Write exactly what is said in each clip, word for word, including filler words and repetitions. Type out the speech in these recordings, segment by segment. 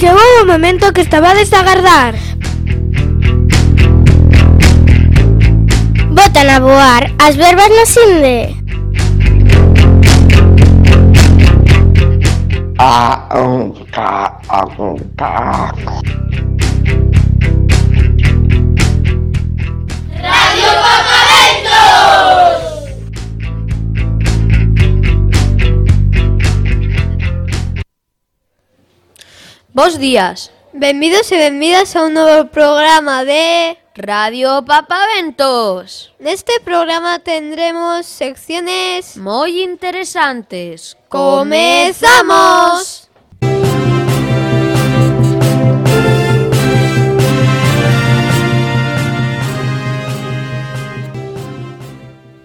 Chegou o momento que estabades a agardar. Botan a voar as verbas no Sinde. A un ca a un ca. Radio Papaventos. Bos días. Benvidos e benvidas a un novo programa de Radio Papaventos. Neste programa tendremos secciones moi interesantes. ¡Comezamos!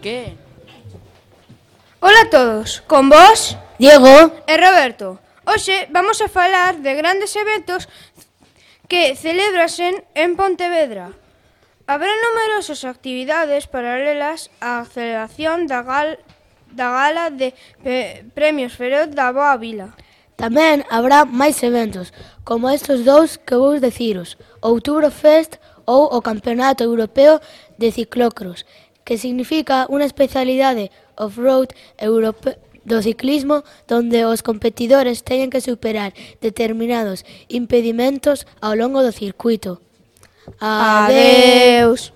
Que? Ola a todos, con vos, Diego e Roberto. Hoxe vamos a falar de grandes eventos que celebrasen en Pontevedra. Haberá numerosas actividades paralelas á celebración da, gal, da gala de pe, premios Feroz da Boa Vila. Tamén habrá máis eventos, como estes dous que vou deciros, Oktoberfest ou o Campeonato Europeo de Ciclocross, que significa unha especialidade off-road europeo do ciclismo donde os competidores teñen que superar determinados impedimentos ao longo do circuito. Adeus!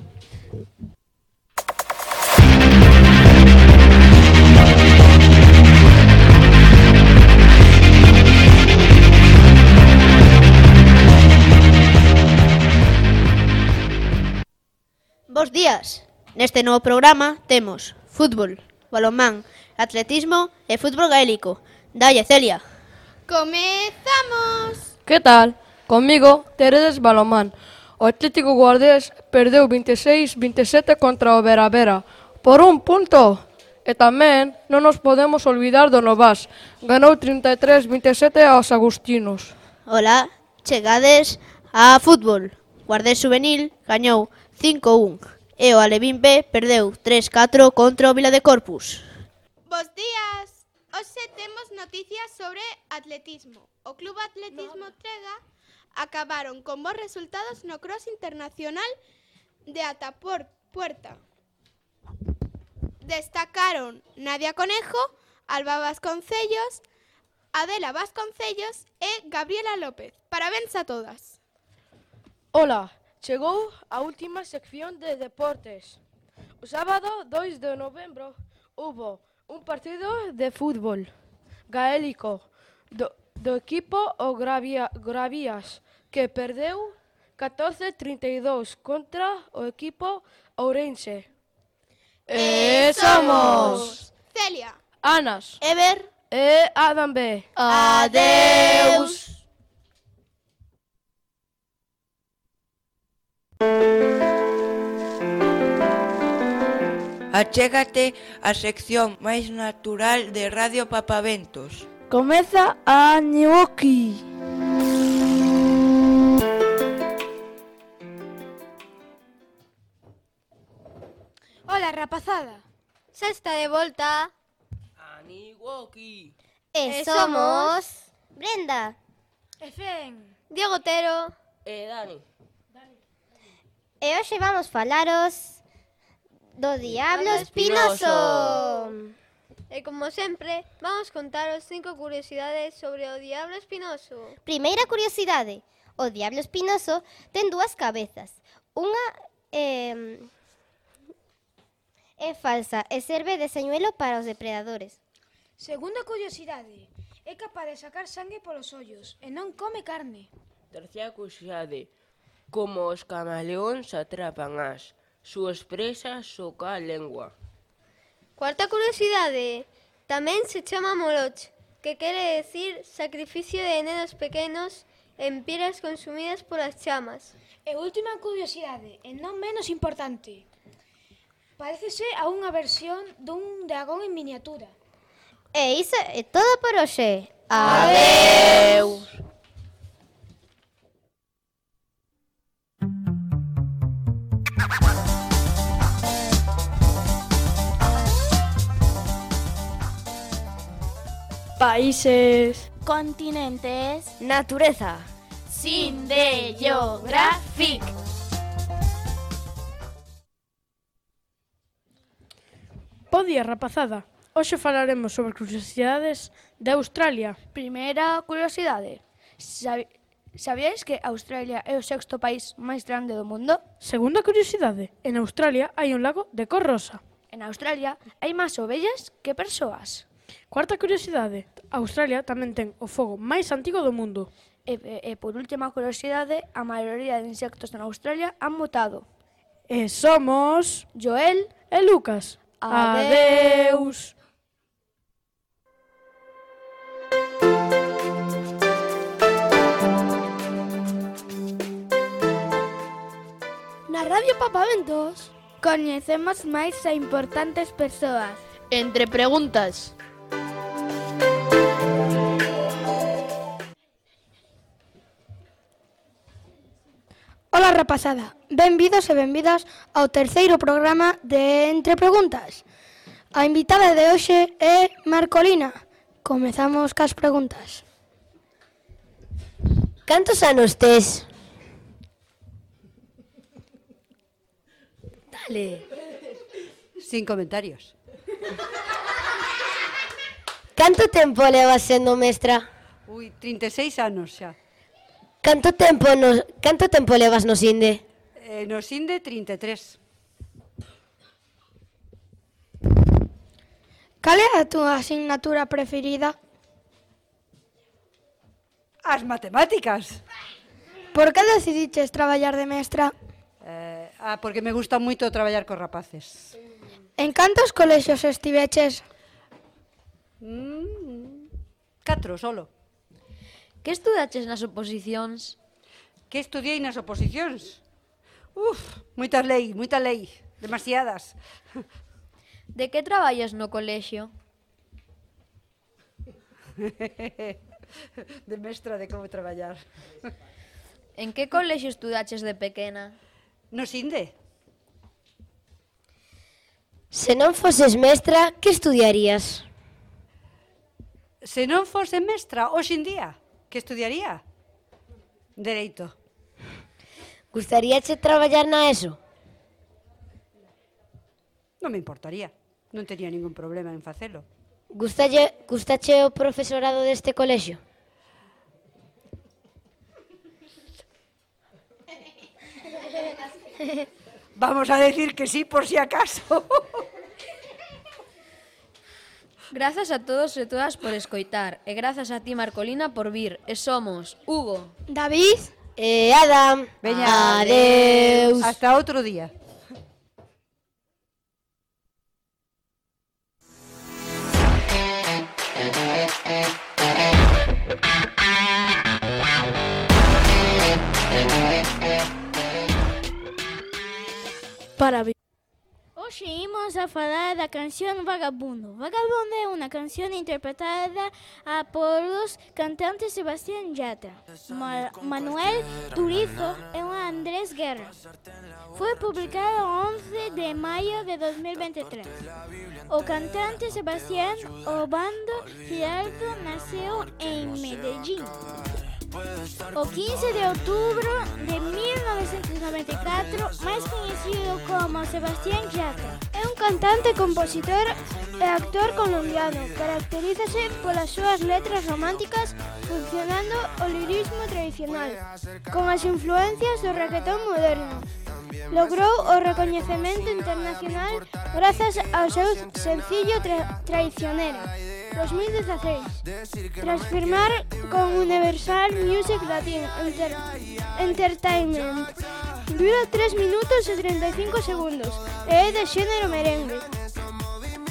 Bos días. Neste novo programa temos fútbol, balonmán, atletismo e fútbol gaélico. Dalle, Celia. Comezamos. Que tal? Comigo teredes balonmán. O Atlético Guardés perdeu vinte e seis a vinte e sete contra o Vera Vera por un punto. E tamén non nos podemos olvidar do Novas. Ganou trinta e tres a vinte e sete aos agustinos. Hola, chegades a fútbol. Guardés Juvenil gañou cinco a un e o Alevín B perdeu tres a catro contra o Vila de Corpus. Bos días. Hoxe temos noticias sobre atletismo. O Club Atletismo Trega acabaron con bons resultados no Cross Internacional de Atapuerta. Destacaron Nadia Conejo, Alba Vasconcellos, Adela Vasconcellos e Gabriela López. Parabéns a todas. Ola, chegou a última sección de deportes. O sábado dous de novembro hubo un partido de fútbol gaélico do, do equipo o Gravia, Gravías, que perdeu catorce a trinta e dous contra o equipo ourense. E somos Celia, Anas, Ever, e Adam B. adeus. Achégate a sección máis natural de Radio Papaventos. Comeza a Ñoqui. Ola, rapazada. xa está de volta. Aniwoki. E somos Brenda. E Fen. Diego Otero. E Dani. E hoxe vamos falaros do Diablo Espinoso. Espinoso. E como sempre, vamos contaros cinco curiosidades sobre o Diablo Espinoso. Primeira curiosidade. O Diablo Espinoso ten dúas cabezas. Unha eh, é falsa e serve de señuelo para os depredadores. Segunda curiosidade. É capaz de sacar sangue polos ollos e non come carne. Terceira curiosidade. Como os camaleóns atrapan as súas presas so ca lengua. Cuarta curiosidade. Tamén se chama moloch, que quere decir sacrificio de nenos pequenos en piras consumidas polas chamas. E última curiosidade, e non menos importante. Parécese a unha versión dun dragón en miniatura. E iso é todo por hoxe. Adeus. Países, continentes, natureza, Cinde Geographic. Bo día, rapazada. Hoxe falaremos sobre curiosidades de Australia. Primeira curiosidade. Sabi- Sabíais que Australia é o sexto país máis grande do mundo? Segunda curiosidade. En Australia hai un lago de cor rosa. En Australia hai máis ovellas que persoas. Cuarta curiosidade. Australia tamén ten o fogo máis antigo do mundo. E, e, e por última curiosidade, a maioría de insectos en Australia han mutado. E somos Joel e Lucas. Adeus. Na Radio Papaventos coñecemos máis a importantes persoas. Entre preguntas. Ola, rapazada, benvidos e benvidas ao terceiro programa de Entre Preguntas. A invitada de hoxe é Marcolina. Comezamos cas preguntas. Cantos anos tes? Dale. Sin comentarios. Canto tempo levas sendo mestra? Ui, trinta e seis anos xa. Canto tempo nos, canto tempo levas no Sinde? Eh, no Sinde, trinta e tres. Cal é a túa asignatura preferida? As matemáticas. Por que decidiches traballar de mestra? Eh, ah, porque me gusta moito traballar cos rapaces. En cantos colexios estiveches? Mm, catro, solo. Que estudaches nas oposicións? Que estudiei nas oposicións? Uf, moita lei, moita lei, demasiadas. De que traballas no colexio? De mestra de como traballar. En que colexio estudaches de pequena? No Sinde. Se non foses mestra, que estudiarías? Se non fose mestra, hoxe en día, que estudiaría? Dereito. Gustaríache traballar na ESO? Non me importaría. Non tería ningún problema en facelo. Gustalle, gustache o profesorado deste colexio? Vamos a decir que sí por si acaso. Grazas a todos e todas por escoitar e grazas a ti, Marcolina, por vir. E somos Hugo, David e Adam. Veña, adeus. Hasta outro día. Para vi- Hoxe imos a falar da canción Vagabundo. Vagabundo é unha canción interpretada a por os cantantes Sebastián Yatra, Ma Manuel Turizo e Andrés Guerra. Foi publicado once de maio de dos mil veintitrés. O cantante Sebastián Obando Giraldo naceu en Medellín o quince de outubro de mil novecentos noventa e catro, máis coñecido como Sebastián Yatra. É un cantante, compositor e actor colombiano. Caracterízase polas súas letras románticas funcionando o lirismo tradicional, con as influencias do reggaetón moderno. Logrou o recoñecemento internacional grazas ao seu sencillo tra Traicionera, dos mil dieciséis, tras firmar con Universal Music Latin Enter Entertainment. Dura tres minutos e treinta e cinco segundos e é de xénero merengue.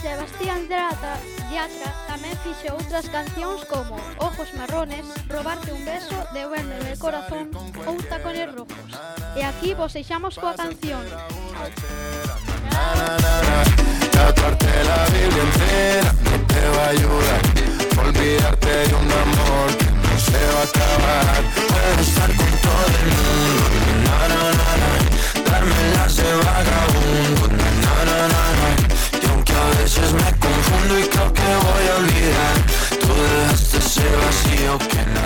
Sebastián Yatra, Yatra tamén fixo outras cancións como Ojos Marrones, Robarte un beso, Devuélveme el corazón ou Tacones rojos. E aquí vos deixamos coa canción. Tatuarte la Biblia entera no te va a ayudar. Olvidarte de un amor que no se va a acabar. Puedo estar con todo el mundo, na, na, na, na. Darme las de vagabundo, na, na, na, na, na. Y aunque a veces me confundo y creo que voy a olvidar, tú dejaste ese vacío que no